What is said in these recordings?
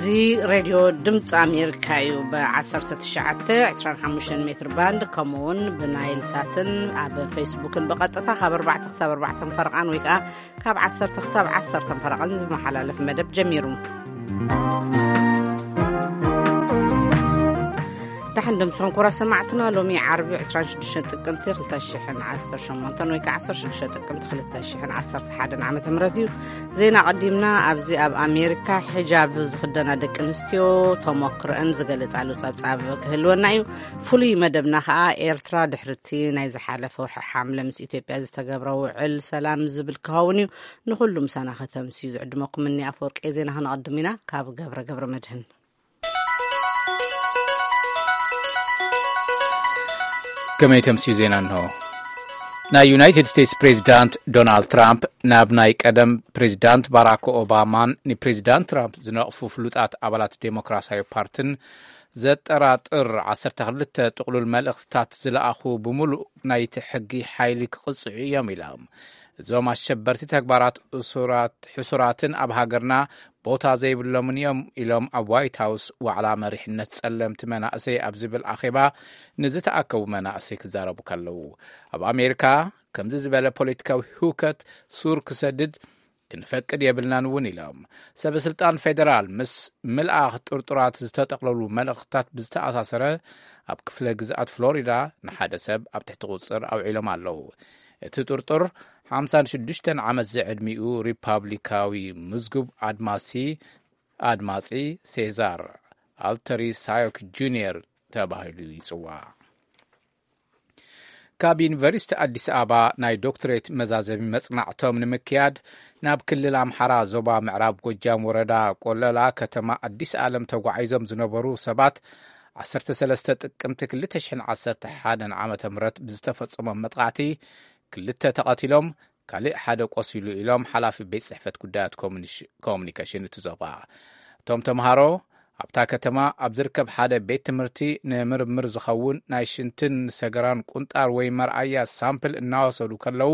እዚ ሬድዮ ድምፂ ኣሜሪካ እዩ። ብ19፣ 25 ሜትር ባንድ፣ ከምኡ እውን ብናይል ሳትን ኣብ ፌስቡክን ብቐጥታ ካብ ኣርባዕተ ክሳብ ኣርባዕተ ፈረቓን ወይ ከዓ ካብ ዓሰርተ ክሳብ ዓሰርተ ፈረቓን ዝመሓላለፍ መደብ ጀሚሩ። ደሓን ደምስኹም ክቡራት ሰማዕትና፣ ሎሚ ዓርቢ 26 ጥቅምቲ 2018 ወይ ከዓ 16 ጥቅምቲ 2011 ዓመተ ምህረት እዩ። ዜና ቀዲምና። ኣብዚ ኣብ ኣሜሪካ ሒጃብ ዝኽደና ደቂ ኣንስትዮ ተሞክሮአን ዝገልጻሉ ጸብጻብ ክህልወና እዩ። ፍሉይ መደብና ከዓ ኤርትራ ድሕርቲ ናይ ዝሓለፈ ወርሒ ሓምለ ምስ ኢትዮጵያ ዝተገብረ ውዕል ሰላም ዝብል ክኸውን እዩ። ንኹሉ ምሳና ከተምስዩ ዝዕድመኩም እኒ ኣፈወርቂ። ዜና ክነቐድም ኢና ካብ ገብረ ገብረ መድህን። ከመይ ተምስዩ ዜና እንሆ። ናይ ዩናይትድ ስቴትስ ፕሬዚዳንት ዶናልድ ትራምፕ ናብ ናይ ቀደም ፕሬዚዳንት ባራክ ኦባማን ንፕሬዚዳንት ትራምፕ ዝነቕፉ ፍሉጣት ኣባላት ዴሞክራሲያዊ ፓርትን ዘጠራጥር 12 ጥቕሉል መልእኽትታት ዝለኣኹ ብምሉእ ናይቲ ሕጊ ሓይሊ ክቕጽዑ እዮም ኢሎም። እዞም ኣሸበርቲ ተግባራት እሱራት፣ ሕሱራትን ኣብ ሃገርና ቦታ ዘይብሎምን እዮም ኢሎም ኣብ ዋይት ሃውስ ዋዕላ መሪሕነት ጸለምቲ መናእሰይ ኣብ ዝብል ኣኼባ ንዝተኣከቡ መናእሰይ ክዛረቡ ከለዉ፣ ኣብ ኣሜሪካ ከምዚ ዝበለ ፖለቲካዊ ህውከት ሱር ክሰድድ ክንፈቅድ የብልናን እውን ኢሎም። ሰበ ስልጣን ፌደራል ምስ ምልኣኽ ጥርጡራት ዝተጠቕለሉ መልእኽትታት ብዝተኣሳሰረ ኣብ ክፍለ ግዝኣት ፍሎሪዳ ንሓደ ሰብ ኣብ ትሕቲ ቁጽር ኣውዒሎም ኣለዉ። እቲ ጥርጡር 56 ዓመት ዝዕድሚኡ ሪፓብሊካዊ ምዝጉብ ኣድማሲ ኣድማጺ ሴዛር ኣልተሪ ሳዮክ ጁኒየር ተባሂሉ ይጽዋዕ። ካብ ዩኒቨርሲቲ ኣዲስ ኣበባ ናይ ዶክትሬት መዛዘሚ መጽናዕቶም ንምክያድ ናብ ክልል ኣምሓራ ዞባ ምዕራብ ጎጃም ወረዳ ቆለላ ከተማ ኣዲስ ኣለም ተጓዒዞም ዝነበሩ ሰባት 13 ጥቅምቲ 2011 ዓመተ ምህረት ብዝተፈጸሞም መጥቃዕቲ ክልተ ተቐቲሎም፣ ካልእ ሓደ ቆሲሉ ኢሎም ሓላፊ ቤት ጽሕፈት ጉዳያት ኮሙኒሽ-፣ ኮሙኒኬሽን እቲ ዞባ። እቶም ተምሃሮ ኣብታ ከተማ ኣብ ዝርከብ ሓደ ቤት ትምህርቲ ንምርምር ዝኸውን ናይ ሽንትን ሰገራን ቁንጣር ወይ መርኣያ ሳምፕል እናወሰዱ ከለዉ፣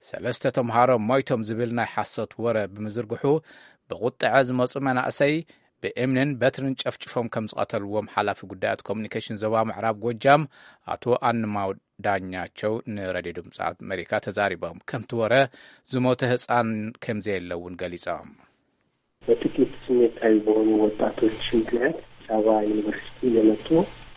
ሰለስተ ተምሃሮ ሞይቶም ዝብል ናይ ሓሶት ወረ ብምዝርግሑ፣ ብቁጥዐ ዝመጹ መናእሰይ ብእምንን በትርን ጨፍጭፎም ከም ዝቐተልዎም ሓላፊ ጉዳያት ኮሙኒኬሽን ዞባ ምዕራብ ጎጃም ኣቶ ኣንማው ዳኛቸው ንሬድዮ ድምፂ ኣሜሪካ ተዛሪቦም። ከምቲ ወረ ዝሞተ ህፃን ከም ዘየለ እውን ገሊፆም። በጥቂት ስሜታዊ በሆኑ ወጣቶች ምክንያት አዲስ አበባ ዩኒቨርሲቲ የመጡ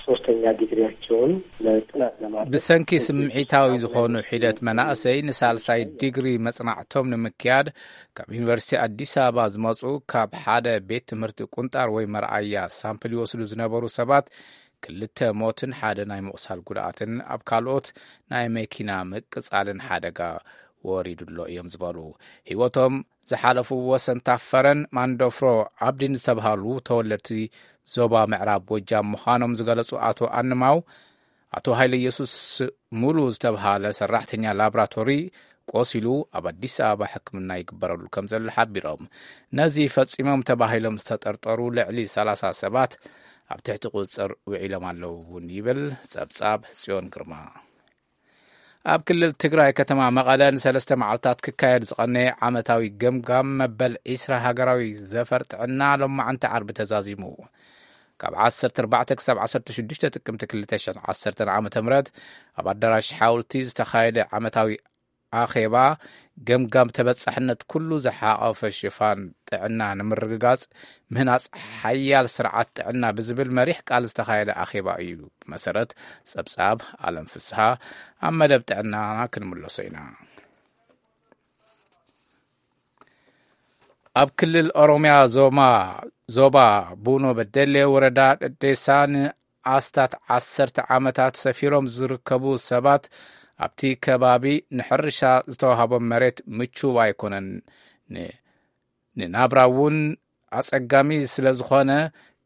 ሶስተኛ ዲግሪያቸውን ለጥናት ለማድረግ ብሰንኪ ስምዒታዊ ዝኾኑ ሒደት መናእሰይ ንሳልሳይ ዲግሪ መጽናዕቶም ንምክያድ ካብ ዩኒቨርሲቲ ኣዲስ ኣበባ ዝመጹ ካብ ሓደ ቤት ትምህርቲ ቁንጣር ወይ መርኣያ ሳምፕል ይወስዱ ዝነበሩ ሰባት ክልተ ሞትን ሓደ ናይ ምቑሳል ጉድኣትን ኣብ ካልኦት ናይ መኪና ምቅጻልን ሓደጋ ወሪዱ ኣሎ እዮም ዝበሉ። ህይወቶም ዝሓለፉ ወሰንታ ፈረን ማንዶፍሮ ኣብዲን ዝተብሃሉ ተወለድቲ ዞባ ምዕራብ ጎጃም ምዃኖም ዝገለጹ ኣቶ ኣንማው፣ ኣቶ ሃይለ ኢየሱስ ሙሉ ዝተብሃለ ሰራሕተኛ ላብራቶሪ ቆሲሉ ኣብ ኣዲስ ኣበባ ሕክምና ይግበረሉ ከም ዘሎ ሓቢሮም፣ ነዚ ፈጺሞም ተባሂሎም ዝተጠርጠሩ ልዕሊ ሰላሳ ሰባት ኣብ ትሕቲ ቁጽጽር ውዒሎም ኣለዉ እውን ይብል ጸብጻብ ጽዮን ግርማ። ኣብ ክልል ትግራይ ከተማ መቐለ ንሰለስተ መዓልታት ክካየድ ዝቐነየ ዓመታዊ ገምጋም መበል ዒስራ ሃገራዊ ዘፈር ጥዕና ሎማዕንቲ ዓርቢ ተዛዚሙ። ካብ ዓሰርተ ኣርባዕተ ክሳብ ዓሰርተ ሽዱሽተ ጥቅምቲ ክልተ ሽሕን ዓሰርተን ዓመተ ምህረት ኣብ ኣዳራሽ ሓወልቲ ዝተኻየደ ዓመታዊ ኣኼባ ገምጋም ተበጻሕነት ኩሉ ዝሓቐፈ ሽፋን ጥዕና ንምርግጋጽ ምህናጽ ሓያል ስርዓት ጥዕና ብዝብል መሪሕ ቃል ዝተኻየደ ኣኼባ እዩ። ብመሰረት ጸብጻብ ኣለም ፍስሃ ኣብ መደብ ጥዕናና ክንምለሶ ኢና። ኣብ ክልል ኦሮሚያ ዞማ-፣ ዞባ ቡኖ በደሌ ወረዳ ደዴሳ ንኣስታት ዓሰርተ ዓመታት ሰፊሮም ዝርከቡ ሰባት ኣብቲ ከባቢ ንሕርሻ ዝተዋህቦም መሬት ምቹው ኣይኮነን። ን-፣ ንናብራ እውን ኣጸጋሚ ስለ ዝኾነ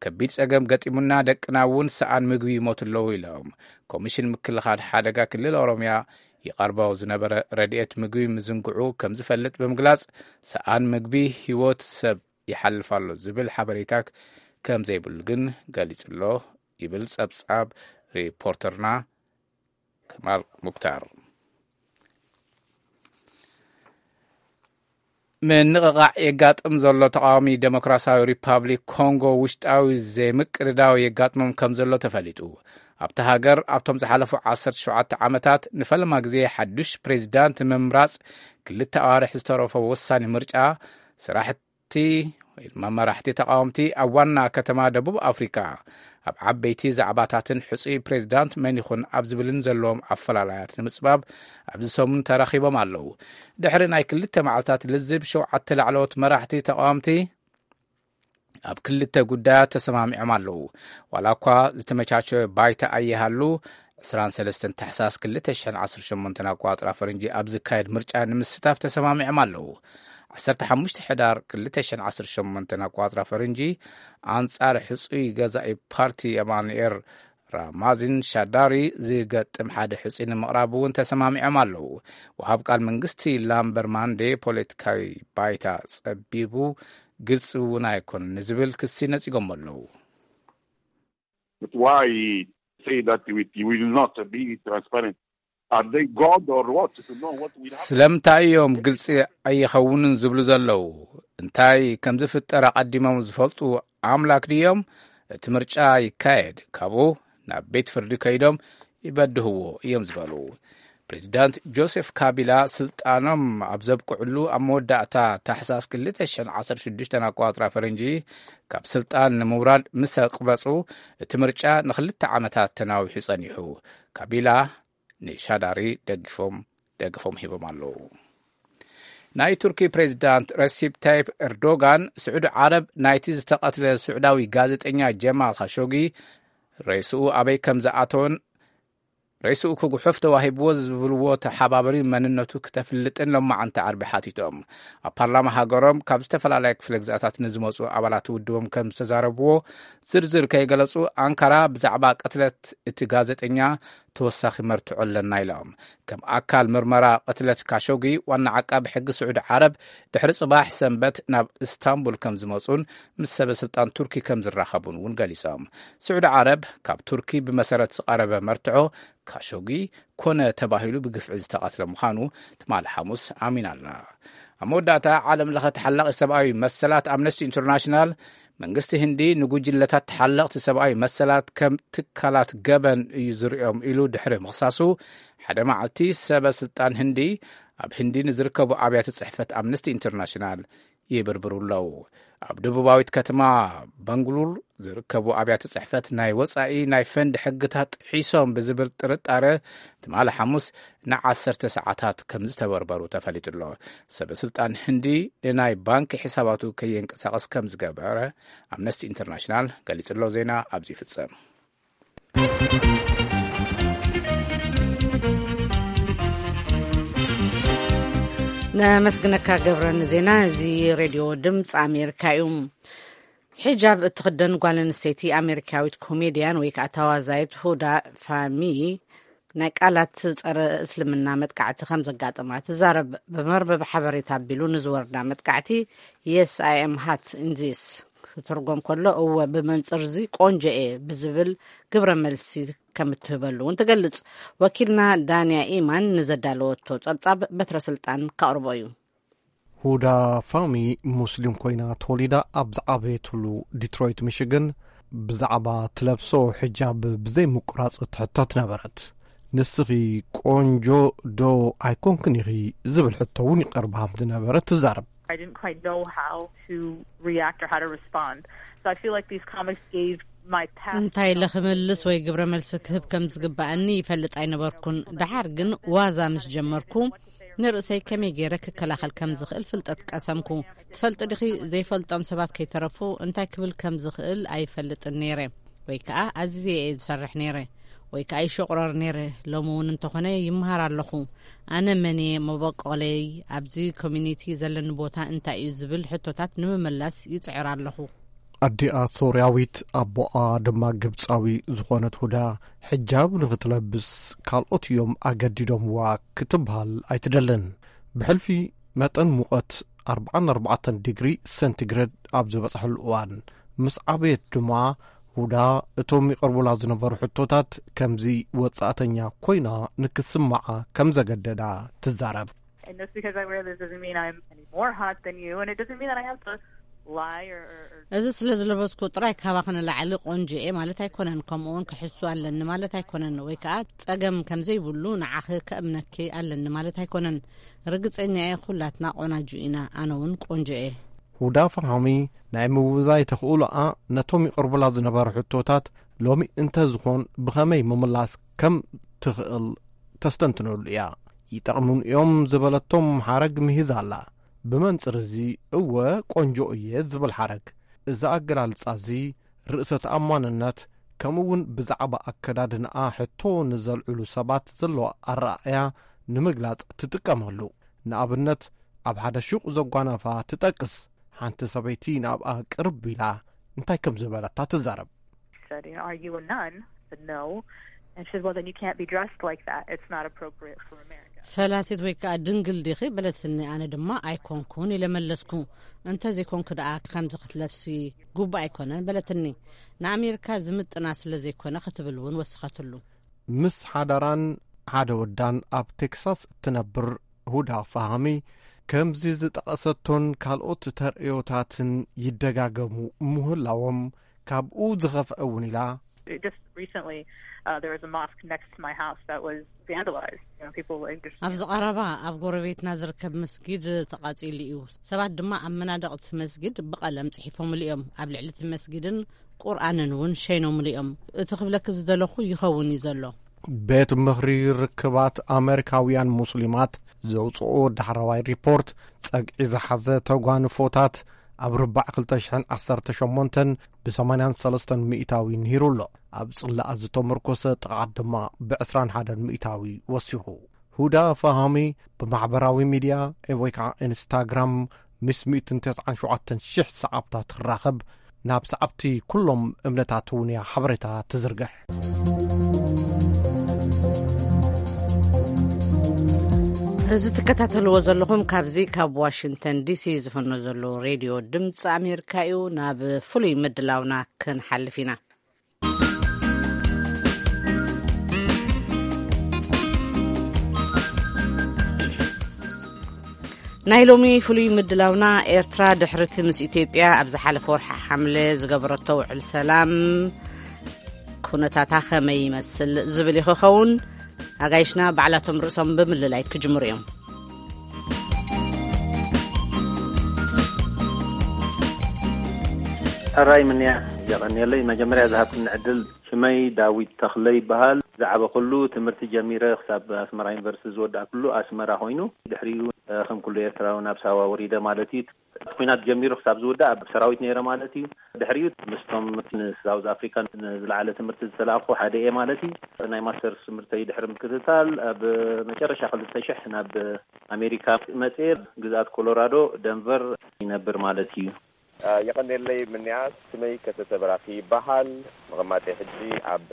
ከቢድ ጸገም ገጢሙና፣ ደቅና እውን ሰኣን ምግቢ ይሞቱ ኣለዉ ኢሎም። ኮሚሽን ምክልኻል ሓደጋ ክልል ኦሮሚያ ይቐርቦ ዝነበረ ረድኤት ምግቢ ምዝንግዑ ከም ዝፈልጥ ብምግላጽ፣ ሰኣን ምግቢ ህይወት ሰብ ይሓልፍ ኣሎ ዝብል ሓበሬታ ከም ዘይብሉ ግን ገሊጹ ኣሎ ይብል ጸብጻብ ሪፖርተርና ከማል ሙክታር። ምንቕቓዕ የጋጥም ዘሎ ተቓዋሚ ዴሞክራሲያዊ ሪፓብሊክ ኮንጎ ውሽጣዊ ዘይምቅድዳው የጋጥሞም ከም ዘሎ ተፈሊጡ። ኣብቲ ሃገር ኣብቶም ዝሓለፉ ዓሰርተ ሸውዓተ ዓመታት ንፈለማ ግዜ ሓዱሽ ፕሬዚዳንት ምምራጽ ክልተ ኣዋርሕ ዝተረፎ ወሳኒ ምርጫ፣ ስራሕቲ ወይ ድማ መራሕቲ ተቓወምቲ ኣብ ዋና ከተማ ደቡብ ኣፍሪካ ኣብ ዓበይቲ ዛዕባታትን ሕፁይ ፕሬዚዳንት መን ይኹን ኣብ ዝብልን ዘለዎም ኣፈላላያት ንምፅባብ ኣብዚ ሰሙን ተራኺቦም ኣለዉ። ድሕሪ ናይ ክልተ መዓልታት ልዝብ፣ ሸውዓተ ላዕለዎት መራሕቲ ተቓወምቲ ኣብ ክልተ ጉዳያት ተሰማሚዖም ኣለዉ። ዋላ እኳ ዝተመቻቸወ ባይታ ኣይሃሉ፣ ዕስራን ሰለስተን ታሕሳስ ክልተ ሽሕን ዓሰርተ ሸሞንተን ኣቋጽራ ፈረንጂ ኣብ ዝካየድ ምርጫ ንምስታፍ ተሰማሚዖም ኣለዉ። ዓሰርተ ሓሙሽተ ሕዳር ክልተ ሽሕን ዓሰርተ ሸሞንተን ኣቋጽራ ፈረንጂ ኣንጻር ሕጹይ ገዛኢ ፓርቲ የማኑኤል ራማዚን ሻዳሪ ዝገጥም ሓደ ሕጹይ ንምቕራብ እውን ተሰማሚዖም ኣለዉ። ወሃብ ቃል መንግስቲ ላምበር ማንዴ ፖለቲካዊ ባይታ ጸቢቡ ግልጺ እውን ኣይኮነን ንዝብል ክሲ ነጺጎም ኣለዉ። But why say that we, we will not be transparent? Are they God or what? To know what will happen. ስለምንታይ እዮም ግልጺ ኣይኸውንን ዝብሉ ዘለዉ? እንታይ ከም ዝፍጠር ኣቐዲሞም ዝፈልጡ ኣምላክ ድዮም? እቲ ምርጫ ይካየድ፣ ካብኡ ናብ ቤት ፍርዲ ከይዶም ይበድህዎ እዮም ዝበሉ። ፕሬዚዳንት ጆሴፍ ካቢላ ስልጣኖም ኣብ ዘብቅዕሉ ኣብ መወዳእታ ታሕሳስ ክልተ ሽሕን ዓሰርተ ሽዱሽተን ኣቋጽራ ፈረንጂ ካብ ስልጣን ንምውራድ ምስ ኣቕበጹ፣ እቲ ምርጫ ንክልተ ዓመታት ተናዊሑ ጸኒሑ። ካቢላ ንሻዳሪ ደገፎም ሂቦም ኣለዉ። ናይ ቱርኪ ፕሬዚዳንት ረሲፕ ታይፕ ኤርዶጋን፣ ስዑዲ ዓረብ ናይቲ ዝተቐትለ ስዑዳዊ ጋዜጠኛ ጀማል ካሾጊ ሬስኡ ኣበይ ከም ዝኣተወን ሬስኡ ክጉሕፍ ተዋሂብዎ ዝብልዎ ተሓባበሪ መንነቱ ክተፍልጥን ሎማዓንቲ ዓርቢ ሓቲቶም። ኣብ ፓርላማ ሃገሮም ካብ ዝተፈላለያ ክፍለ ግዝኣታት ንዝመፁ ኣባላት ውድቦም ከም ዝተዛረብዎ ዝርዝር ከይገለፁ፣ ኣንካራ ብዛዕባ ቅትለት እቲ ጋዜጠኛ ተወሳኺ መርትዖ ኣለና ኢሎም። ከም ኣካል ምርመራ ቅትለት ካሾጊ፣ ዋና ዓቃቢ ሕጊ ስዑዲ ዓረብ ድሕሪ ጽባሕ ሰንበት ናብ እስታንቡል ከም ዝመጹን ምስ ሰበ ስልጣን ቱርኪ ከም ዝራኸቡን እውን ገሊጾም። ስዑዲ ዓረብ ካብ ቱርኪ ብመሰረት ዝቐረበ መርትዖ ካሾጊ ኮነ ተባሂሉ ብግፍዒ ዝተቐትለ ምዃኑ ትማሊ ሓሙስ ኣሚና ኣላ። ኣብ መወዳእታ፣ ዓለም ለኸ ተሓላቒ ሰብኣዊ መሰላት ኣምነስቲ ኢንተርናሽናል መንግስቲ ህንዲ ንጉጅለታት ተሓለቕቲ ሰብኣዊ መሰላት ከም ትካላት ገበን እዩ ዝርእዮም ኢሉ ድሕሪ ምኽሳሱ፣ ሓደ መዓልቲ ሰበ ስልጣን ህንዲ ኣብ ህንዲ ንዝርከቡ ኣብያተ ጽሕፈት ኣምነስቲ ኢንተርናሽናል ይብርብሩ ኣለዉ። ኣብ ደቡባዊት ከተማ ባንግሉር ዝርከቡ ኣብያተ ጽሕፈት ናይ ወጻኢ ናይ ፈንድ ሕግታት ጥሒሶም ብዝብል ጥርጣረ ትማሊ ሓሙስ ንዓሰርተ ሰዓታት ከም ዝተበርበሩ ተፈሊጡ ኣሎ። ሰበ ስልጣን ህንዲ ንናይ ባንኪ ሒሳባቱ ከየንቀሳቐስ ከም ዝገበረ ኣምነስቲ ኢንተርናሽናል ገሊጹ ኣሎ። ዜና ኣብዚ ይፍጸም። ነመስግነካ ገብረ ንዜና። እዚ ሬድዮ ድምፂ ኣሜሪካ እዩ። ሒጃብ እትኽደን ጓል ኣንስተይቲ ኣሜሪካዊት ኮሜድያን ወይ ከዓ ተዋዛይት ሁዳ ፋሚ ናይ ቃላት ጸረ እስልምና መጥቃዕቲ ከም ዘጋጠማ ትዛረብ። ብመርበብ ሓበሬታ ኣቢሉ ንዝወርዳ መጥቃዕቲ የስ ኣይ ኤም ሃት ኢንዚስ ክትርጎም ከሎ እወ ብመንጽር እዚ ቆንጆ እየ ብዝብል ግብረ መልሲ ከም እትህበሉ እውን ትገልጽ። ወኪልና ዳንያ ኢማን ንዘዳለወቶ ጸብጻብ በትረ ስልጣን ከቕርቦ እዩ። ሁዳ ፋሚ ሙስሊም ኮይና ተወሊዳ ኣብ ዝዓበየትሉ ዲትሮይት ሚሽግን ብዛዕባ ትለብሶ ሕጃብ ብዘይ ምቁራጽ ትሕተት ነበረት። ንስኺ ቆንጆ ዶ ኣይኮንክን ኢኺ ዝብል ሕቶ እውን ይቐርባ ከም ዝነበረ ትዛረብ። I didn't quite know how to react or how to respond. So I feel like these comics gave my past እንታይ ኢለ ክምልስ ወይ ግብረ መልሲ ክህብ ከም ዝግባኣኒ ይፈልጥ ኣይነበርኩን። ደሓር ግን ዋዛ ምስ ጀመርኩ ንርእሰይ ከመይ ገይረ ክከላኸል ከም ዝኽእል ፍልጠት ቀሰምኩ። ትፈልጢ ዲኺ ዘይፈልጦም ሰባት ከይተረፉ እንታይ ክብል ከም ዝኽእል ኣይፈልጥን ነይረ ወይ ከኣ ኣዚዘ እየ ዝፈርሕ ነይረ ወይ ከኣ ይሸቑረር ነይረ። ሎሚ እውን እንተኾነ ይመሃር ኣለኹ። ኣነ መን እየ፣ መበቆለይ፣ ኣብዚ ኮሚኒቲ ዘለኒ ቦታ እንታይ እዩ ዝብል ሕቶታት ንምምላስ ይጽዕር ኣለኹ። ኣዲኣ ሶርያዊት ኣቦኣ ድማ ግብጻዊ ዝኾነት ሁዳ ሕጃብ ንኽትለብስ ካልኦት እዮም ኣገዲዶምዋ ክትበሃል ኣይትደልን። ብሕልፊ መጠን ሙቐት ኣርብዓን ኣርባዕተን ዲግሪ ሰንቲግረድ ኣብ ዝበጽሐሉ እዋን ምስ ዓበየት ድማ ሁዳ እቶም ይቐርቡላ ዝነበሩ ሕቶታት ከምዚ ወጻእተኛ ኮይና ንክስምዓ ከም ዘገደዳ ትዛረብ። And just because I wear this doesn't mean I'm any more hot than you, and it doesn't mean that I have to lie or, or, or እዚ ስለ ዝለበስኩ ጥራይ ካባኺ ንላዕሊ ቆንጆ እየ ማለት ኣይኮነን። ከምኡ እውን ክሕሱ ኣለኒ ማለት ኣይኮነን፣ ወይ ከዓ ጸገም ከም ዘይብሉ ንዓኺ ከእምነኪ ኣለኒ ማለት ኣይኮነን። ርግጸኛ እየ፣ ኩላትና ቆናጁ ኢና፣ ኣነ እውን ቆንጆ እየ። ሁዳ ፈሃሚ ናይ ምውዛይ ተኽእሎኣ ነቶም ይቐርቡላ ዝነበሩ ሕቶታት ሎሚ እንተዝኾን ብኸመይ ምምላስ ከም ትኽእል ተስተንትነሉ እያ። ይጠቕሙን እዮም ዝበለቶም ሓረግ ምሂዛ ኣላ። ብመንጽር እዚ እወ ቆንጆ እየ ዝብል ሓረግ። እዚ ኣገላልጻ እዚ ርእሰ ተኣማንነት ከምኡ እውን ብዛዕባ ኣከዳድንኣ ሕቶ ንዘልዕሉ ሰባት ዘለዋ ኣረኣእያ ንምግላጽ ትጥቀመሉ። ንኣብነት ኣብ ሓደ ሹቕ ዘጓነፋ ትጠቅስ። ሓንቲ ሰበይቲ ናብኣ ቅርብ ኢላ እንታይ ከም ዝበለታ ትዛረብ። Said, you know, "Are you a nun?" I said, "No." And she said, "Well, then you can't be dressed like that. It's not appropriate for America." ፈላሲት ወይ ከዓ ድንግል ዲኺ በለትኒ። ኣነ ድማ ኣይኮንኩን ኢለ መለስኩ። እንተዘይኮንኩ ደኣ ከምዚ ክትለብሲ ግቡእ ኣይኮነን በለትኒ። ንኣሜሪካ ዝምጥና ስለ ዘይኮነ ክትብል እውን ወሰኸትሉ። ምስ ሓዳራን ሓደ ወዳን ኣብ ቴክሳስ እትነብር ሁዳ ፋሃሚ ከምዚ ዝጠቐሰቶን ካልኦት ተርእዮታትን ይደጋገሙ ምህላዎም ካብኡ ዝኸፍአ እውን ኢላ። Just recently, uh, there was a mosque next to my house that was vandalized. You know, people like just ኣብዚ ቀረባ ኣብ ጎረቤትና ዝርከብ መስጊድ ተቓጺሉ እዩ። ሰባት ድማ ኣብ መናድቕ እቲ መስጊድ ብቐለም ጽሒፎምሉ እዮም። ኣብ ልዕሊ እቲ መስጊድን ቁርኣንን እውን ሸይኖምሉ እዮም። እቲ ክብለኪ ዝደለኹ ይኸውን እዩ ዘሎ። ቤት ምኽሪ ርክባት ኣመሪካውያን ሙስሊማት ዘውፅኦ ዳሕረዋይ ሪፖርት ጸግዒ ዝሓዘ ተጓንፎታት ኣብ ርባዕ ክልተ ሽሕን ዓሰርተ ሸሞንተን ብ ሰማንያን ሰለስተን ሚእታዊ ንሂሩ ኣሎ። ኣብ ጽላኣ ዝተመርኮሰ ጥቕዓት ድማ ብ ዕስራን ሓደን ሚእታዊ ወሲኹ። ሁዳ ፋሃሚ ብማሕበራዊ ሚድያ ወይ ከዓ ኢንስታግራም ምስ ሚእትን ተስዓን ሸውዓተን ሽሕ ሰዓብታ ትራኸብ። ናብ ሰዓብቲ ኩሎም እምነታት እውን እያ ሓበሬታ ትዝርግሕ። እዚ ትከታተልዎ ዘለኹም ካብዚ ካብ ዋሽንግተን ዲሲ ዝፈኖ ዘሎ ሬድዮ ድምፂ ኣሜሪካ እዩ። ናብ ፍሉይ ምድላውና ክንሓልፍ ኢና። ናይ ሎሚ ፍሉይ ምድላውና፣ ኤርትራ ድሕርቲ ምስ ኢትዮጵያ ኣብ ዝሓለፈ ወርሒ ሓምለ ዝገበረቶ ውዕል ሰላም ኩነታታ ከመይ ይመስል ዝብል እዩ ክኸውን። ኣጋይሽና ባዕላቶም ርእሶም ብምልላይ ክጅምሩ እዮም። ሕራይ ምንያ፣ የቐንየለይ መጀመርያ ዝሃብክኒ ዕድል። ሽመይ ዳዊት ተኽለ ይበሃል። ዝዓበኹሉ፣ ትምህርቲ ጀሚረ ክሳብ ኣስመራ ዩኒቨርሲቲ ዝወዳእኩሉ ኣስመራ ኮይኑ፣ ድሕሪኡ ከም ኩሉ ኤርትራዊ ናብ ሳዋ ወሪደ ማለት እዩ። ኩናት ጀሚሩ ክሳብ ዝውዳእ ኣብ ሰራዊት ነይረ ማለት እዩ። ድሕሪኡ ምስቶም ንሳውዝ ኣፍሪካ ንዝለዓለ ትምህርቲ ዝተላእኩ ሓደ እየ ማለት እዩ። ናይ ማስተርስ ትምህርተይ ድሕሪ ምክትታል ኣብ መጨረሻ ክልተ ሽሕ ናብ ኣሜሪካ መፅየ፣ ግዝኣት ኮሎራዶ ደንቨር ይነብር ማለት እዩ። የቐንየለይ ምንያ፣ ስመይ ከተተ በራኺ ይበሃል። መቐማጠይ ሕጂ ኣብ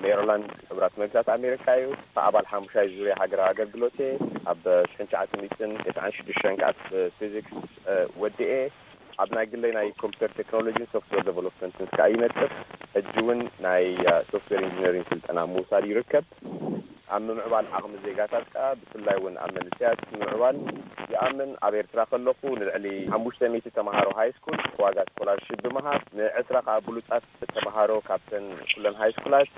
ሜሪላንድ ሕቡራት መንግስታት ኣሜሪካ እዩ። ኣባል ሓሙሻይ ዙርያ ሃገራዊ ኣገልግሎት እየ። ኣብ ሽሕን ትሽዓተ ሚእትን ተስዓን ሽዱሽተን ከዓ ፊዚክስ ወዲኤ ኣብ ናይ ግለይ ናይ ኮምፒተር ቴክኖሎጂን ሶፍትዌር ዴቨሎፕመንትን ከዓ ይነጥፍ። ሕጂ እውን ናይ ሶፍትዌር ኢንጂነሪንግ ስልጠና ምውሳድ ይርከብ። ኣብ ምምዕባል ዓቕሚ ዜጋታት ከኣ ብፍላይ እውን ኣብ መንእሰያት ምምዕባል ይኣምን። ኣብ ኤርትራ ከለኹ ንልዕሊ ሓሙሽተ ሚእቲ ተምሃሮ ሃይ ስኩል ዋጋ ስኮላርሺፕ ብምሃብ፣ ንዕስራ ከኣ ብሉጻት ተምሃሮ ካብተን ኩለን ሃይ ስኩላት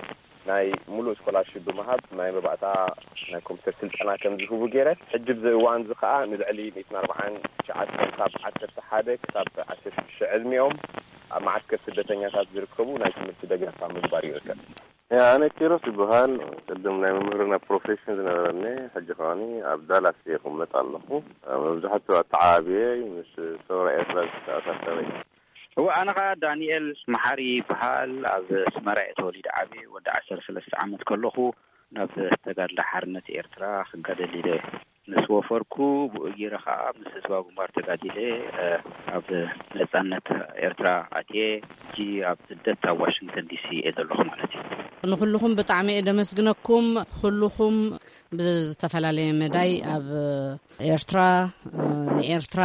ናይ ሙሉእ ስኮላርሺፕ ብምሃብ ናይ መባእታ ናይ ኮምፒተር ስልጠና ከም ዝህቡ ገይረ። ሕጂ ብዚ እዋን እዚ ከኣ ንልዕሊ ሚእትን ኣርባዓን ትሽዓተን ካብ ዓሰርተ ሓደ ክሳብ ዓሰርተ ሽዱሽተ ዕድሚኦም ኣብ መዓስከር ስደተኛታት ዝርከቡ ናይ ትምህርቲ ደገፍ ኣብ ምግባር ይርከብ። ኣነ ኪሮስ ይበሃል። ቅድም ናይ መምህርና ፕሮፌሽን ዝነበረኒ፣ ሕጂ ከዓኒ ኣብ ዳላስ እየ ክቕመጥ ኣለኹ። መብዛሕትኡ ኣተዓባብየ ምስ ሰውራ ኤርትራ ዝተኣሳሰረ እዩ። እወ፣ ኣነ ኸዓ ዳንኤል መሓሪ ይበሃል። ኣብ ኣስመራ እየ ተወሊደ ዓብየ። ወዲ ዓሰርተ ሰለስተ ዓመት ከለኹ ናብ ተጋድሎ ሓርነት ኤርትራ ክጋደል ኢለ ምስ ወፈርኩ፣ ብኡ ገይረ ኸዓ ምስ ህዝባዊ ግንባር ተጋዲለ፣ እ፣ ኣብ ነጻነት ኤርትራ ኣትየ። ሕጂ ኣብ ስደት ኣብ ዋሽንግተን ዲሲ እየ ዘለኹ ማለት እዩ። ንኹልኹም ብጣዕሚ እየ ደመስግነኩም። ኩልኹም ብዝተፈላለየ መዳይ ኣብ ኤርትራ፣ እ፣ ንኤርትራ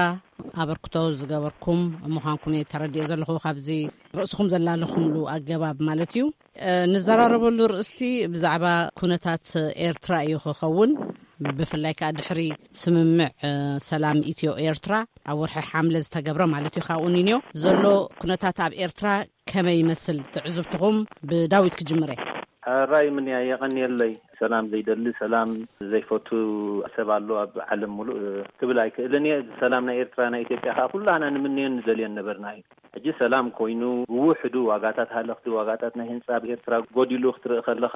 ኣበርክቶ ዝገበርኩም ምዃንኩም እየ ተረዲኦ ዘለኹ፣ ካብዚ ርእስኹም ዘላለኹምሉ ኣገባብ ማለት እዩ። እ፣ ንዘራረበሉ ርእስቲ ብዛዕባ ኩነታት ኤርትራ እዩ ክኸውን። ብፍላይ ከኣ ድሕሪ ስምምዕ ሰላም ኢትዮ ኤርትራ ኣብ ወርሒ ሓምለ ዝተገብረ ማለት እዩ፣ ካብኡ ንንዮ ዘሎ ኩነታት ኣብ ኤርትራ ከመይ ይመስል? ትዕዝብትኹም ብዳዊት ክጅምር እየ። ሕራይ ምንያ፣ የቐንየለይ። ሰላም ዘይደሊ፣ ሰላም ዘይፈቱ ሰብ ኣሎ ኣብ ዓለም ሙሉእ ክብል ኣይክእልን እየ። ሰላም ናይ ኤርትራ ናይ ኢትዮጵያ ከዓ ኩላህና ንምንዮን ንደልዮን ነበርና እዩ። ሕጂ ሰላም ኮይኑ ብውሕዱ ዋጋታት ሃለኽቲ፣ ዋጋታት ናይ ህንፃ ኣብ ኤርትራ ጎዲሉ ክትርኢ ከለኻ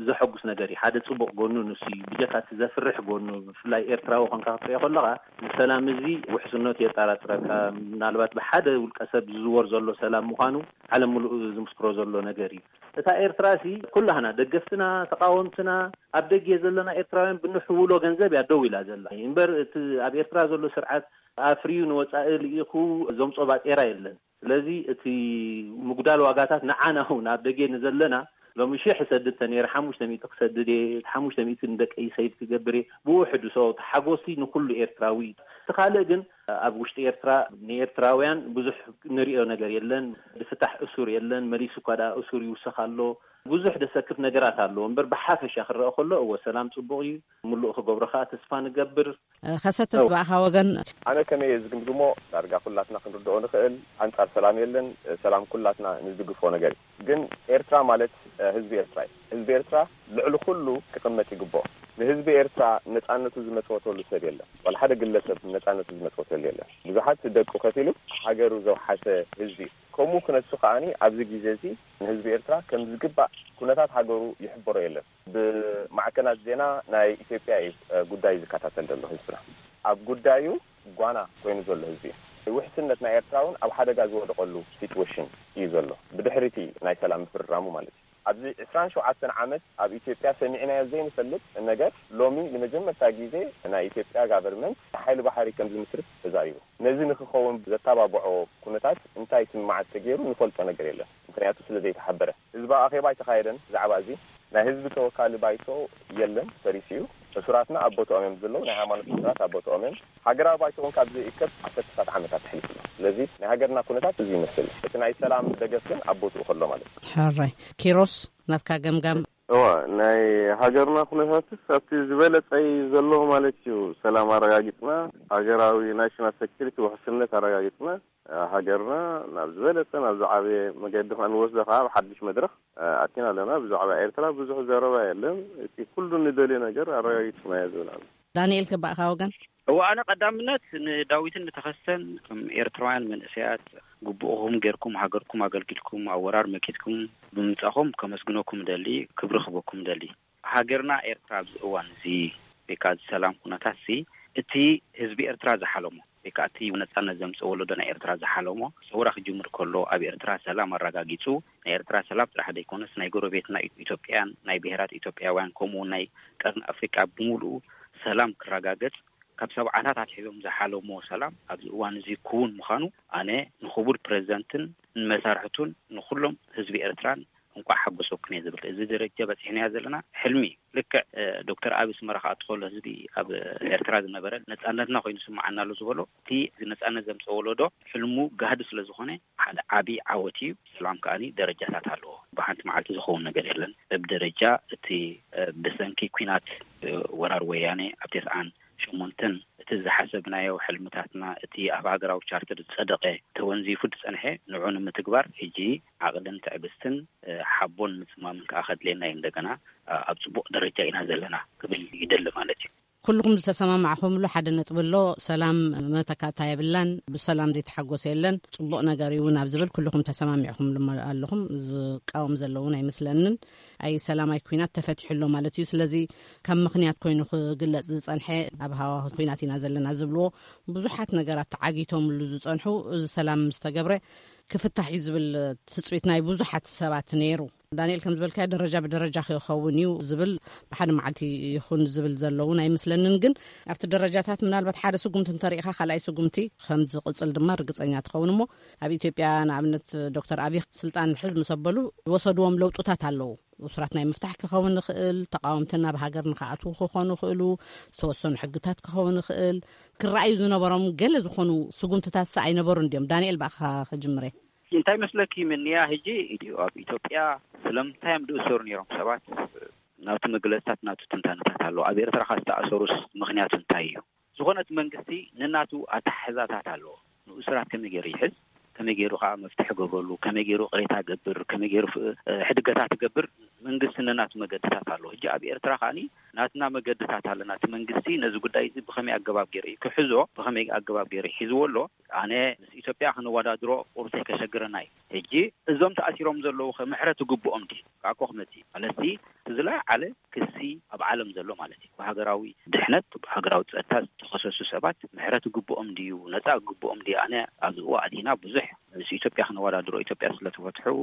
ዘሐጉስ ነገር እዩ። ሓደ ፅቡቕ ጎኑ ንሱ እዩ። ብጀካ እቲ ዘፍርሕ ጎኑ፣ ብፍላይ ኤርትራዊ ኮንካ ክትሪኦ ከለኻ፣ እዚ ሰላም እዚ ውሕስነቱ የጠራጥረካ። ምናልባት ብሓደ ውልቀ ሰብ ዝዝወር ዘሎ ሰላም ምዃኑ ዓለም ሙሉእ ዝምስክሮ ዘሎ ነገር እዩ። እታ ኤርትራ ሲ ኩላህና ደገፍትና ተቃወምትና ኣብ ደገ ዘለና ኤርትራውያን ብንሕውሎ ገንዘብ እያ ደው ኢላ ዘላ እምበር፣ እቲ ኣብ ኤርትራ ዘሎ ስርዓት ኣፍርዩ ንወፃኢ ልኢኹ ዘምፆ ባጤራ የለን። ስለዚ እቲ ምጉዳል ዋጋታት ንዓና እውን ኣብ ደገ ንዘለና፣ ሎሚ ሽሕ እሰድድ ተነይረ ሓሙሽተ ሚእቲ ክሰድድ እየ፣ ሓሙሽተ ሚእቲ ንደቀይ ሰይድ ክገብር እየ። ብውሕዱ ሰው ሓጎሲ ንኩሉ ኤርትራዊ። እቲ ካልእ ግን ኣብ ውሽጢ ኤርትራ ንኤርትራውያን ብዙሕ ንሪኦ ነገር የለን። ዝፍታሕ እሱር የለን። መሊሱ እኳ ደኣ እሱር ይውሰኽ ኣሎ። ብዙሕ ደሰክፍ ነገራት ኣለዎ እምበር፣ ብሓፈሻ ክረአ ከሎ እወ ሰላም ጽቡቕ እዩ። ምሉእ ክገብሮ ከኣ ተስፋ ንገብር። ከሰተስ ብኣኻ ወገን? ኣነ ከመይ እየ ዝግምግሞ፣ ዳርጋ ኩላትና ክንርድኦ ንኽእል፣ ኣንጻር ሰላም የለን። ሰላም ኩላትና ንድግፎ ነገር እዩ። ግን ኤርትራ ማለት ህዝቢ ኤርትራ እዩ። ህዝቢ ኤርትራ ልዕሊ ኩሉ ክቕመጥ ይግብኦ። ንህዝቢ ኤርትራ ነጻነቱ ዝመጽወተሉ ሰብ የለን። ዋላ ሓደ ግለሰብ ነጻነቱ ዝመጽወተሉ የለን። ብዙሓት ደቁ ከፊሉ ሃገሩ ዘውሓሰ ህዝቢ እዩ። ከምኡ ክነሱ ከኣኒ ኣብዚ ግዜ እዚ ንህዝቢ ኤርትራ ከም ዝግባእ ኩነታት ሃገሩ ይሕበሮ የለን። ብማዕከናት ዜና ናይ ኢትዮጵያ እዩ ጉዳይ ዝከታተል ዘሎ ህዝብና። ኣብ ጉዳዩ ጓና ኮይኑ ዘሎ ህዝቢ እዩ። ውሕስነት ናይ ኤርትራ እውን ኣብ ሓደጋ ዝወደቐሉ ሲትዌሽን እዩ ዘሎ፣ ብድሕሪቲ ናይ ሰላም ምፍርራሙ ማለት እዩ። ኣብዚ ዕስራን ሸውዓተን ዓመት ኣብ ኢትዮጵያ ሰሚዕናዮ ዘይንፈልጥ ነገር ሎሚ ንመጀመርታ ግዜ ናይ ኢትዮጵያ ጋቨርንመንት ሓይሊ ባሕሪ ከም ዝምስርት ተዛሪቡ። ነዚ ንክኸውን ዘተባብዖ ኩነታት እንታይ ስምምዓት ተገይሩ ንፈልጦ ነገር የለን። ምክንያቱ ስለ ዘይተሓበረ። ህዝባዊ ኣኼባ ኣይተኻየደን ብዛዕባ እዚ። ናይ ህዝቢ ተወካሊ ባይቶ የለን፣ ፈሪሱ እዩ። እሱራትና ኣብ ቦትኦም እዮም ዘለዉ። ናይ ሃይማኖት እሱራት ኣብ ቦትኦም እዮም። ሃገራዊ ባይቶ እውን ካብ ዘይእከብ ዓሰርተታት ዓመታት ተሕሊፉ ኣሎ። ስለዚ ናይ ሃገርና ኩነታት እዚ ይመስል። እቲ ናይ ሰላም ደገፍ ግን ኣብ ቦትኡ ከሎ ማለት እዩ። ሕራይ። ኪሮስ፣ ናትካ ገምጋም? እዋ፣ ናይ ሃገርና ኩነታትስ ኣብቲ ዝበለጸ እዩ ዘሎ ማለት እዩ። ሰላም ኣረጋጊጽና፣ ሃገራዊ ናሽናል ሴኩሪቲ ውሕስነት ኣረጋጊጽና፣ ሃገርና ናብ ዝበለጸ፣ ናብ ዝዓበየ መገዲ ከኣ ንወስዶ ከኣ ኣብ ሓድሽ መድረኽ ኣቲና ኣለና። ብዛዕባ ኤርትራ ብዙሕ ዘረባ የለን። እቲ ኩሉ ንደልዮ ነገር ኣረጋጊጽናዮ ዝብል ኣሎ። ዳንኤል፣ ከባእካ ወገን? እዋ፣ ኣነ ቀዳምነት ንዳዊትን ንተኸስተን ከም ኤርትራውያን መንእሰያት ግቡእኹም ጌርኩም ሃገርኩም ኣገልጊልኩም ኣብ ወራር መኪትኩም ብምምጻኹም ከመስግነኩም ደሊ፣ ክብሪ ክበኩም ደሊ። ሃገርና ኤርትራ ኣብዚ እዋን እዚ ወይ ከዓ እዚ ሰላም ኩነታት እዚ እቲ ህዝቢ ኤርትራ ዝሓለሞ ወይ ከዓ እቲ ነጻነት ዘምጽእ ወለዶ ናይ ኤርትራ ዝሓለሞ ሰውራ ክጅምር ከሎ ኣብ ኤርትራ ሰላም ኣረጋጊጹ ናይ ኤርትራ ሰላም ጥራሕ ዘይኮነስ ናይ ጎረቤትና ኢትዮጵያን ናይ ብሄራት ኢትዮጵያውያን ከምኡ እውን ናይ ቀርኒ ኣፍሪቃ ብምሉኡ ሰላም ክረጋገጽ ካብ ሰብዓታት ኣትሒዞም ዝሓለሞ ሰላም ኣብዚ እዋን እዚ ክውን ምዃኑ ኣነ ንክቡር ፕሬዚደንትን ንመሳርሕቱን ንኩሎም ህዝቢ ኤርትራን እንቋዕ ሓጎሰኩም እየ ዝብል። እዚ ደረጃ በፂሕናዮ ዘለና ሕልሚ እዩ። ልክዕ ዶክተር ኣቢ ኣስመራ ክኣቱ ከሎ ህዝቢ ኣብ ኤርትራ ዝነበረ ነፃነትና ኮይኑ ስምዓና ኣሎ ዝበሎ እቲ እዚ ነፃነት ዘምፀ ወለዶ ሕልሙ ጋህዲ ስለ ዝኾነ ሓደ ዓብዪ ዓወት እዩ። ሰላም ከኣኒ ደረጃታት ኣለዎ። ብሓንቲ መዓልቲ ዝኸውን ነገር የለን። በብደረጃ እቲ ብሰንኪ ኲናት ወራር ወያነ ኣብ ተስዓን ሸሞንተን እቲ ዝሓሰብናዮ ሕልምታትና እቲ ኣብ ሃገራዊ ቻርተር ዝፀደቐ ተወንዚፉ ዝፀንሐ ንዑ ንምትግባር ሕጂ ዓቕልን ትዕግስትን ሓቦን ምፅማምን ከዓ ከድልየና እዩ። እንደገና ኣብ ፅቡቕ ደረጃ ኢና ዘለና ክብል ይደሊ ማለት እዩ። ኩልኹም ዝተሰማማዕኹምሉ ሓደ ነጥቢ ኣሎ። ሰላም መተካእታ የብላን፣ ብሰላም ዘይተሓጎሰ የለን፣ ፅቡቕ ነገር እዩ ናብ ዝብል ኩልኹም ተሰማሚዕኹምሉ ኣለኹም። ዝቃወም ዘለውን ኣይመስለንን። ኣይ ሰላም ኣይ ኩናት ተፈቲሑ ኣሎ ማለት እዩ። ስለዚ ከም ምኽንያት ኮይኑ ክግለጽ ዝጸንሐ ኣብ ሃዋሁ ኩናት ኢና ዘለና ዝብልዎ ብዙሓት ነገራት ተዓጊቶምሉ ዝጸንሑ፣ እዚ ሰላም ምስ ተገብረ ክፍታሕ እዩ ዝብል ትጽቢት ናይ ብዙሓት ሰባት ነይሩ። ዳንኤል ከም ዝበልካዮ ደረጃ ብደረጃ ክኸውን እዩ ዝብል ብሓደ መዓልቲ ይኹን ዝብል ዘለውን ኣይመስለንን። ግን ኣብቲ ደረጃታት ምናልባት ሓደ ስጉምቲ እንተሪኢኻ ካልኣይ ስጉምቲ ከም ዝቕጽል ድማ ርግጸኛ ትኸውን። እሞ ኣብ ኢትዮጵያ ንኣብነት ዶክተር ኣቢ ስልጣን ሕዝ ምስ ኣበሉ ዝወሰድዎም ለውጥታት ኣለዉ። እሱራት ናይ ምፍታሕ ክኸውን ይኽእል፣ ተቃወምቲ ናብ ሃገር ንክኣትዉ ክኾኑ ይኽእሉ፣ ዝተወሰኑ ሕግታት ክኸውን ይኽእል። ክረኣዩ ዝነበሮም ገለ ዝኾኑ ስጉምትታት ኣይነበሩን ድዮም? ዳንኤል፣ ብኣኻ ክጅምር እየ። እንታይ መስለኪ ምንያ፣ ሕጂ ኢትዮ-፣ ኣብ ኢትዮጵያ ስለምንታይ እዮም ዝእሰሩ ነይሮም ሰባት? ናቱ መግለጽታት፣ ናቱ ትንታነታት ኣለዎ። ኣብ ኤርትራ ካብ ዝተኣሰሩስ ምኽንያቱ እንታይ እዩ? ዝኾነ እቲ መንግስቲ ንናቱ ኣተሓሕዛታት ኣለዎ። ንእሱራት ከመይ ገይሩ ይሕዝ፣ ከመይ ገይሩ ከዓ መፍትሒ ገብረሉ፣ ከመይ ገይሩ ቅሬታ ገብር፣ ከመይ ገይሩ ፍ-፣ እ፣ ሕድገታት ገብር፣ መንግስቲ ንናቱ መገድታት ኣለዎ። ሕጂ ኣብ ኤርትራ ከዓኒ ናትና መገድታት ኣለና። እቲ መንግስቲ ነዚ ጉዳይ እዚ ብኸመይ ኣገባብ ገይሩ እዩ ክሕዞ፣ ብኸመይ ኣገባብ ገይሩ ሒዝዎ ኣሎ? ኣነ ምስ ኢትዮጵያ ክንወዳድሮ ቁሩብ ከሸግረና እዩ። ሕጂ እዞም ተኣሲሮም ዘለዉ ከ ምሕረት ይግብኦም ድዩ? ካብ ኮኽመቲ ማለትሲ፣ እቲ ዝለዓለ ክሲ ኣብ ዓለም ዘሎ ማለት እዩ። ብሃገራዊ ድሕነት፣ ብሃገራዊ ጸጥታ ዝተኸሰሱ ሰባት ምሕረት ይግብኦም ድዩ? ነጻ ይግብኦም ድዩ? ኣነ ኣብዚ እዋን ኣቲና ብዙሕ ምስ ኢትዮጵያ ክንወዳድሮ፣ ኢትዮጵያ ስለ ተፈትሑ፣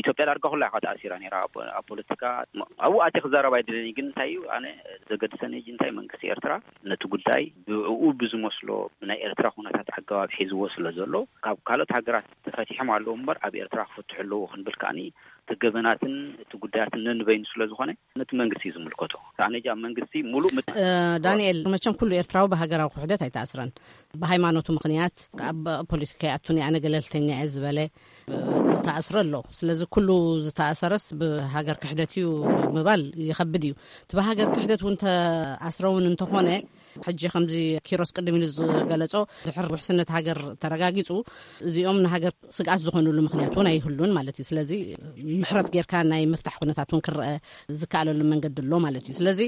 ኢትዮጵያ ዳርጋ ኩላ ኢኻ ተኣሲራ ነይራ ኣብ፣ ኣብ ፖለቲካ። ኣብኡ ኣትየ ክዛረብ ኣይደለኒ፣ ግን እንታይ እዩ ኣነ ዘገድሰኒ፣ ሕጂ እንታይ መንግስቲ ኤርትራ ነቲ ጉዳይ ብእኡ ብዝመስሎ ብናይ ኤርትራ ኩነታት ኣገባብ ሒዝዎ ስለ ዘሎ፣ ካብ ካልኦት ሃገራት ተፈቲሖም ኣለዉ እምበር ኣብ ኤርትራ ክፍትሑ ኣለዉ ክንብል ከኣኒ እቲ ገበናትን እቲ ጉዳያትን ነንበይኑ ስለ ዝኾነ ነቲ መንግስቲ እዩ ዝምልከቶ። ኣነ ጃ መንግስቲ ሙሉእ ምት- እ፣ ዳንኤል፣ መቸም ኩሉ ኤርትራዊ ብሃገራዊ ክሕደት ኣይተኣስረን። ብሃይማኖቱ ምኽንያት ኣብ ፖለቲካ ይኣቱን ኣነ ገለልተኛ እየ ዝበለ፣ እ፣ ዝተኣስረ ኣሎ። ስለዚ ኩሉ ዝተኣሰረስ ብሃገር ክሕደት እዩ ምባል ይኸብድ እዩ። እቲ ብሃገር ክሕደት እውን ተኣስረ እውን እንተኾነ፣ ሕጂ ከምዚ ኪሮስ ቅድም ኢሉ ዝገለጾ፣ ድሕር ውሕስነት ሃገር ተረጋጊጹ፣ እዚኦም ንሃገር ስግኣት ዝኾኑሉ ምኽንያት እውን ኣይህሉን ማለት እዩ። ስለዚ ምሕረት ጌርካ ናይ ምፍታሕ ኩነታት እውን ክረአ ዝከኣለሉ መንገዲ ኣሎ ማለት እዩ። ስለዚ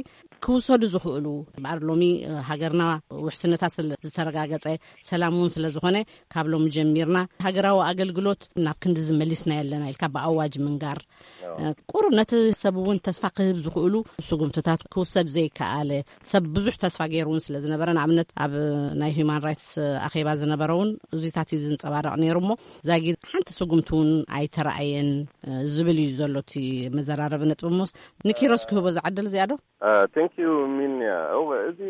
ክውሰዱ ዝኽእሉ እምበኣር ሎሚ፣ እ፣ ሃገርና ውሕስነታ ስለ ዝተረጋገጸ፣ ሰላም እውን ስለ ዝኾነ፣ ካብ ሎሚ ጀሚርና ሃገራዊ ኣገልግሎት ናብ ክንዲ ዝመሊስና የለና ኢልካ ብኣዋጅ ምንጋር፣ እ፣ ቁሩብ ነቲ ሰብ እውን ተስፋ ክህብ ዝኽእሉ ስጉምትታት ክውሰድ ዘይከኣለ፣ ሰብ ብዙሕ ተስፋ ገይሩ እውን ስለ ዝነበረ፣ ንኣብነት ኣብ ናይ ሁማን ራይትስ ኣኼባ ዝነበረ እውን እዚታት እዩ ዝንጸባረቕ ነይሩ። እሞ ዛጊድ ሓንቲ ስጉምቲ እውን ኣይተረኣየን፣ እ፣ ዝብል እዩ ዘሎ እቲ መዘራረቢ ነጥቢ። እሞስ ንኪሮስ ክህቦ ዝዓደል እዚኣ ዶ? ቴንክ ዩ ሚንያ። እወ፣ እዚ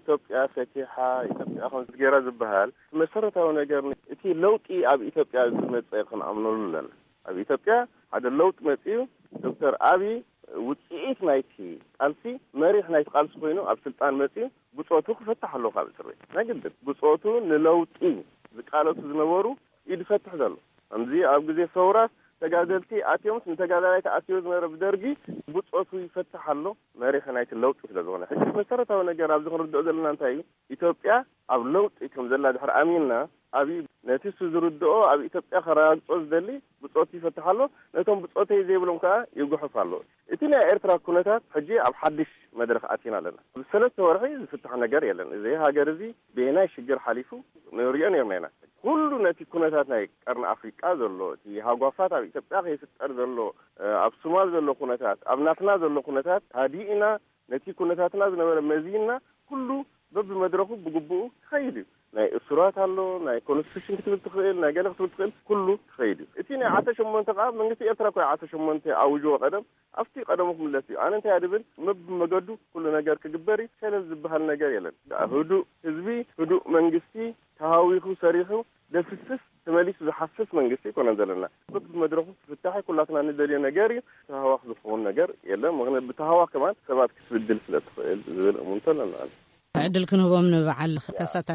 ኢትዮጵያ ፈቲሓ፣ ኢትዮጵያ ከም ገይራ ዝበሃል መሰረታዊ ነገር፣ እቲ ለውጢ ኣብ ኢትዮጵያ ዝመፀ ክንኣምነሉ ኣለና። ኣብ ኢትዮጵያ ሓደ ለውጢ መፅዩ፣ ዶክተር ኣብይ ውፅኢት ናይቲ ቃልሲ፣ መሪሕ ናይቲ ቃልሲ ኮይኑ ኣብ ስልጣን መፅዩ፣ ብፆቱ ክፈትሕ ኣለዎ ካብ እስር ቤት። ናይ ግድን ብፆቱ ንለውጢ ዝቃለሱ ዝነበሩ እዩ ዝፈትሕ ዘሎ። ከምዚ ኣብ ግዜ ሰውራስ ተጋደልቲ ኣትዮምስ፣ ንተጋዳላይ ተኣስዮ ዝነበረ ብደርጊ ብጾቱ ይፈትሕ ኣሎ፣ መሪሕ ናይቲ ለውጢ ስለ ዝኾነ። ሕጂ መሰረታዊ ነገር ኣብዚ ክንርድኦ ዘለና እንታይ እዩ? ኢትዮጵያ ኣብ ለውጢ ከም ዘላ ድሕሪ ኣሚንና፣ ኣብይ ነቲ እሱ ዝርድኦ ኣብ ኢትዮጵያ ከረጋግጾ ዝደሊ ብጾቱ ይፈትሕ ኣሎ፣ ነቶም ብጾተይ ዘይብሎም ከኣ ይጉሕፍ ኣሎ። እቲ ናይ ኤርትራ ኩነታት ሕጂ ኣብ ሓድሽ መድረኽ ኣቲና ኣለና። ብሰለስተ ወርሒ ዝፍታሕ ነገር የለን። እዚ ሃገር እዚ በየናይ ሽግር ሓሊፉ ንሪኦ ነርና ኢና። ኩሉ ነቲ ኩነታት ናይ ቀርኒ ኣፍሪቃ ዘሎ፣ እቲ ሃጓፋት ኣብ ኢትዮጵያ ከይፍጠር ዘሎ፣ እ፣ ኣብ ሶማል ዘሎ ኩነታት፣ ኣብ ናትና ዘሎ ኩነታት ሃዲእና፣ ነቲ ኩነታትና ዝነበረ መዚንና፣ ኩሉ በብመድረኹ ብግቡኡ ክኸይድ እዩ። ናይ እሱራት ኣሎ፣ ናይ ኮንስቲቱሽን ክትብል ትኽእል፣ ናይ ገለ ክትብል ትኽእል፣ ኩሉ ክኸይድ እዩ። እቲ ናይ ዓሰርተ ሸሞንተ ከኣ መንግስቲ ኤርትራ እኮ እዩ ዓሰርተ ሸሞንተ ኣውጅዎ ቀደም፣ ኣብቲ ቀደሙ ክምለስ እዩ። ኣነ እንታይ እየ ድብል፣ መብመገዱ ኩሉ ነገር ክግበር እዩ። ሸለል ዝበሃል ነገር የለን። ህዱእ ህዝቢ፣ ህዱእ መንግስቲ፣ ተሃዊኹ ሰሪሑ፣ ደፍስስ ተመሊሱ ዝሓስስ መንግስቲ ኣይኮነን ዘለና። በብመድረኹ ክፍታሕ ኩላትና ንደልዮ ነገር እዩ። ተሃዋኽ ዝኸውን ነገር የለን። ምኽንያቱ ብተሃዋኽ ከማን ሰባት ክትብድል ስለ ትኽእል ዝብል እሙንቶ ኣለና። ዕድል ክንህቦም ንበዓል ከሰተ።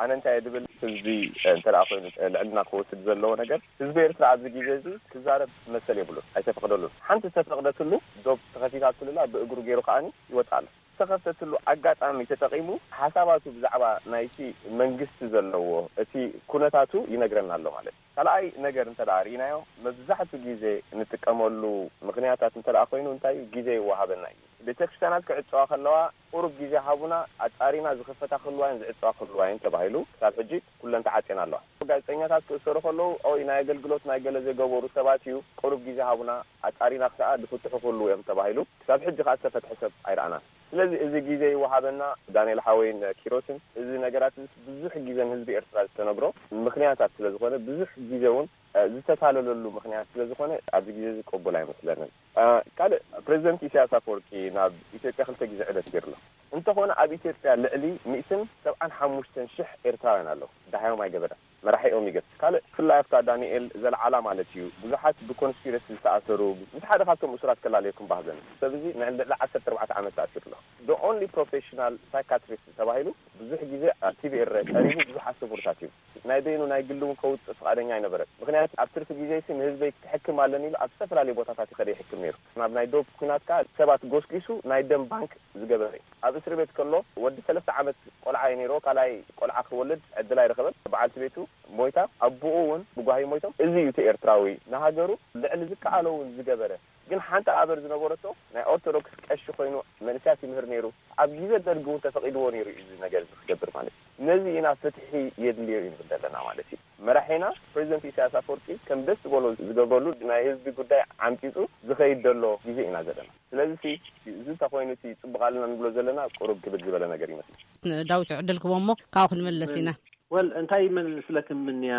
ኣነ እንታይ እየ ድብል፣ ህዝቢ እንተ ደኣ ኮይኑ ልዕልና ክወስድ ዘለዎ ነገር፣ ህዝቢ ኤርትራ ኣብዚ ግዜ እዚ ክዛረብ መሰል የብሉን፣ ኣይተፈቕደሉን። ሓንቲ ዝተፈቕደትሉ ዶብ ተኸፊታትሉላ ብእግሩ ገይሩ ከኣኒ ይወጽእ ኣሎ። ዝተኸፍተትሉ ኣጋጣሚ ተጠቒሙ ሓሳባቱ ብዛዕባ ናይቲ መንግስቲ ዘለዎ እቲ ኩነታቱ ይነግረና ኣሎ ማለት እዩ። ካልኣይ ነገር እንተ ደኣ ርኢናዮ፣ መብዛሕቱ ግዜ እንጥቀመሉ ምኽንያታት እንተ ደኣ ኮይኑ እንታይ እዩ? ግዜ ይወሃበና እዩ። ቤተክርስትያናት ክዕጸዋ ከለዋ፣ ቁሩብ ግዜ ሃቡና፣ ኣጻሪና ዝኽፈታ ክህልዋ እየን ዝዕጸዋ ክህልዋ እየን ተባሂሉ፣ ክሳብ ሕጂ ኩለን ተዓጽየን ኣለዋ። ጋዜጠኛታት ክእሰሩ ከለዉ፣ ኦይ፣ ናይ ኣገልግሎት ናይ ገለ ዘይገበሩ ሰባት እዩ፣ ቁሩብ ግዜ ሃቡና፣ ኣጻሪና ከኣ ዝፍትሑ ክህልዉ እዮም ተባሂሉ፣ ክሳብ ሕጂ ከኣ ዝተፈትሐ ሰብ ኣይረኣናን። ስለዚ እዚ ግዜ ይወሃበና፣ ዳንኤል ሓወይን ኪሮስን፣ እዚ ነገራት እዚ ብዙሕ ግዜ ንህዝቢ ኤርትራ ዝተነግሮ ምኽንያታት ስለ ዝኾነ፣ ብዙሕ ግዜ እውን እ፣ ዝተታለለሉ ምኽንያት ስለ ዝኾነ ኣብዚ ግዜ እዚ ቅቡል ኣይመስለንን። እ፣ ካልእ ፕሬዚደንት ኢሳያስ ኣፈወርቂ ናብ ኢትዮጵያ ክልተ ግዜ ዑደት ገይሩ ኣሎ። እንተኾነ ኣብ ኢትዮጵያ ልዕሊ ሚእትን ሰብዓን ሓሙሽተን ሽሕ ኤርትራውያን ኣለዉ። ደሃዮም ኣይገበረን። መራሒኦም ይገብ። ካልእ ብፍላይ ኣብታ ዳንኤል ዘልዓላ ማለት እዩ ብዙሓት ብኮንስፒረሲ ዝተኣሰሩ ምስ ሓደ ካብቶም እሱራት ከላለየኩም ባህዘን ሰብ እዚ ንልዕሊ ዓሰርተ ኣርባዕተ ዓመት ተኣሲሩ ኣሎ። The only professional psychiatrist ተባሂሉ ብዙሕ ግዜ ኣብ ቲ ቪ ኤር ቀሪቡ ብዙሓት ስሙርታት እዩ። ናይ በይኑ ናይ ግሊ እውን ከውፅእ ፍቓደኛ ኣይነበረን። ምኽንያቱ ኣብ ትርፊ ግዜሲ ንህዝበይ ክሕክም ኣለኒ ኢሉ ኣብ ዝተፈላለዩ ቦታታት ይኸደ ይሕክም ነይሩ። ኣብ ናይ ዶብ ኩናት ከኣ ሰባት ጎስጒሱ ናይ ደም ባንክ ዝገበረ እዩ። ኣብ እስሪ ቤት ከሎ ወዲ ሰለስተ ዓመት ቆልዓ እዩ ነይርዎ። ካልኣይ ቆልዓ ክወልድ ዕድል ኣይረኸበን። በዓልቲ ቤቱ ሞይታ፣ ኣቦኡ እውን ብጓሂ ሞይቶም። እዚ እዩ እቲ ኤርትራዊ፣ ንሃገሩ ልዕሊ ዝከኣሎ እውን ዝገበረ። ግን ሓንቲ ኣበር ዝነበረቶ ናይ ኦርቶዶክስ ቀሺ ኮይኑ መንእሰያት ይምህር ነይሩ። ኣብ ግዜ ደርጊ እውን ተፈቒድዎ ነይሩ እዩ እዚ ነገር እዚ ክገብር ማለት እዩ። ነዚ ኢና ፍትሒ የድልዮ እዩ ንብል ዘለና ማለት እዩ። መራሒና ፕሬዚደንት ኢሳያስ ኣፈወርቂ ከም ደስ ዝበሎ ዝገብረሉ፣ ናይ ህዝቢ ጉዳይ ዓምጺጹ ዝኸይድ ዘሎ ግዜ ኢና ዘለና። ስለዚ ሲ፣ እዚ እንተኾይኑ እቲ ጽቡቕ ኣለና ንብሎ ዘለና ቁሩብ ክብድ ዝበለ ነገር ይመስል። ዳዊት ዕድል ክቦ እሞ ካብኡ ክንምለስ ኢና። ወል እንታይ ይመስለክም ምንያ፣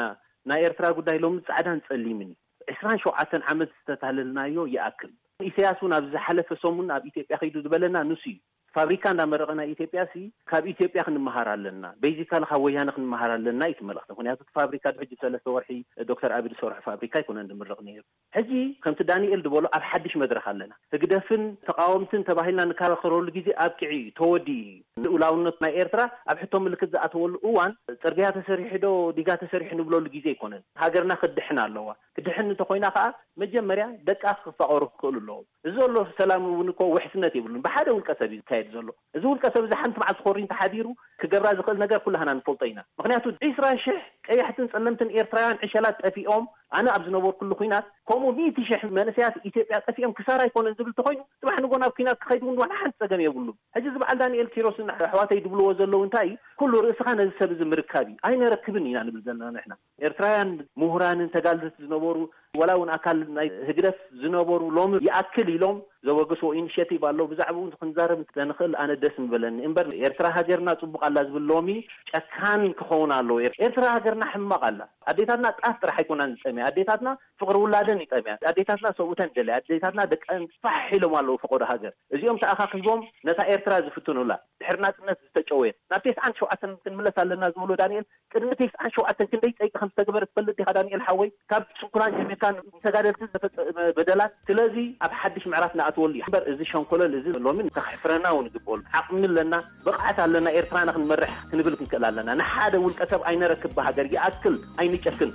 ናይ ኤርትራ ጉዳይ ሎሚ ጻዕዳን ጸሊምን እዩ። ዕስራን ሸውዓተን ዓመት ዝተታለልናዮ ይኣክል። ኢሳያስ እውን ኣብ ዝሓለፈ ሰሙን ኣብ ኢትዮጵያ ከይዱ ዝበለና ንሱ እዩ። ፋብሪካ እንዳመረቐ ናይ ኢትዮጵያ ሲ ካብ ኢትዮጵያ ክንመሃር ኣለና፣ ቤዚካሊ ካብ ወያነ ክንመሃር ኣለና እዩ እቲ መልእኽቲ። ምክንያቱ እቲ ፋብሪካ ሕጂ ሰለስተ ወርሒ ዶክተር ኣቢ ዝሰርሖ ፋብሪካ ኣይኮነን ዝምረቕ ነይሩ። ሕጂ ከምቲ ዳንኤል ዝበሎ ኣብ ሓድሽ መድረኽ ኣለና። ህግደፍን ተቃወምትን ተባሂልና ንከራኸረሉ ግዜ ኣብቂዑ እዩ፣ ተወዲኡ እዩ። ልኡላውነት ናይ ኤርትራ ኣብ ሕቶ ምልክት ዝኣተወሉ እዋን ጽርግያ ተሰሪሑ ዶ ዲጋ ተሰሪሑ ንብለሉ ግዜ ኣይኮነን። ሃገርና ክትድሕን ኣለዋ። ክትድሕን እንተኾይና ከኣ መጀመርያ ደቃ ክፋቐሩ ክኽእሉ ኣለዎም። እዚ ዘሎ ሰላም እውን እኮ ውሕስነት የብሉን። ብሓደ ውልቀ ሰብ እዩ ዝካየድ ዘሎ። እዚ ውልቀ ሰብ እዚ ሓንቲ መዓልቲ ኮሪ እንተሓዲሩ ክገብራ ዝኽእል ነገር ኩላህና ንፈልጦ ኢና። ምክንያቱ ዒስራ ሽሕ ቀያሕትን ጸለምትን ኤርትራውያን ዕሸላት ጠፊኦም፣ ኣነ ኣብ ዝነበርኩሉ ኲናት ከምኡ ሚእቲ ሽሕ መንእሰያት ኢትዮጵያ ጠፊኦም ክሳራ ኣይኮነን ዝብል እንተኾይኑ፣ ጽባሕ ንጎ ናብ ኲናት ክኸይድ እውን ዋላ ሓንቲ ጸገም የብሉን። ሕጂ እዚ በዓል ዳንኤል ኪሮስን ኣሕዋተይ ዝብልዎ ዘለዉ እንታይ እዩ? ኩሉ ርእስኻ ነዚ ሰብ እዚ ምርካብ እዩ። ኣይነረክብን ኢና ንብል ዘለና ንሕና። ኤርትራውያን ምሁራንን ተጋደልቲ ዝነበሩ፣ ዋላ እውን ኣካል ናይ ህግደፍ ዝነበሩ ሎሚ ይኣክል ኢሎም ዘወገስዎ ኢኒሼቲቭ ኣሎ። ብዛዕባኡ እውን ክንዛረብ እንተንኽእል ኣነ ደስ ምበለኒ። እምበር ኤርትራ ሃገርና ጽቡቕ ኣላ ዝብል ሎሚ ጨካን ክኸውን ኣለዎ። ኤር-፣ ኤርትራ ሃገርና ሕማቕ ኣላ። ኣዴታትና ጣፍ ጥራሕ ኣይኮናን ዝጠምያ። ኣዴታትና ፍቕሪ ውላደን ይጠምያ። ኣዴታትና ሰብኡተን ደለያ። ኣዴታትና ደቀን ፋሕ ኢሎም ኣለዉ ፈቐዶ ሃገር። እዚኦም ተኣኻኺቦም ነታ ኤርትራ ዝፍትኑላ፣ ድሕሪ ናጽነት ዝተጨወየት፣ ናብ ተስዓን ሸውዓተን ክንምለስ ኣለና ዝበሎ ዳንኤል፣ ቅድሚ ተስዓን ሸውዓተን ክንደይ ጸይቂ ከም ዝተገበረ ትፈልጥ ዲኻ ዳንኤል ሓወይ? ካብ ስንኩላን ጀሚርካ ንተጋደልቲ ዝተፈጸመ በደላት። ስለዚ ኣብ ሓድሽ ምዕራፍ ንኣትወሉ እዩ። እምበር እዚ ሸንኮለል እዚ ሎሚ ከሕፍረና እውን ይግበሉ። ዓቕሚ ኣለና፣ ብቕዓት ኣለና፣ ኤርትራና ክንመርሕ ክንብል ክንክእል ኣለና። ንሓደ ውልቀ ሰብ ኣይነረክብ ብሃገር ይኣክል ኣይንጨክን።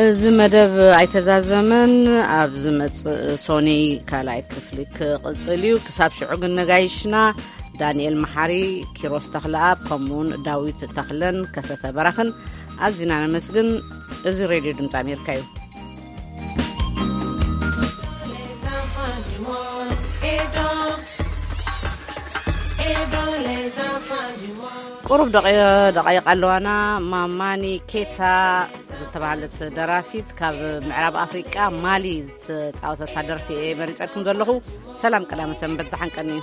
እዚ መደብ ኣይተዛዘመን። ኣብ ዝመጽእ ሶኒ ካልኣይ ክፍሊ ክቕጽል እዩ። ክሳብ ሽዑ ግን ነጋይሽና ዳንኤል መሓሪ፣ ኪሮስ ተኽለኣብ፣ ከምኡውን ዳዊት ተኽለን ከሰተ በራኽን ኣዚና ነመስግን። እዚ ሬድዮ ድምፂ ኣሜሪካ እዩ። ቁሩብ ደቂ-፣ ደቃይቕ ኣለዋና። ማማኒ ኬታ ዝተባህለት ደራፊት ካብ ምዕራብ ኣፍሪቃ ማሊ ዝተጻወተታ ደርፊ እየ መሪጸልኩም ዘለኹ። ሰላም፣ ቀዳመ ሰንበት ዝሓንቀኒ እዩ።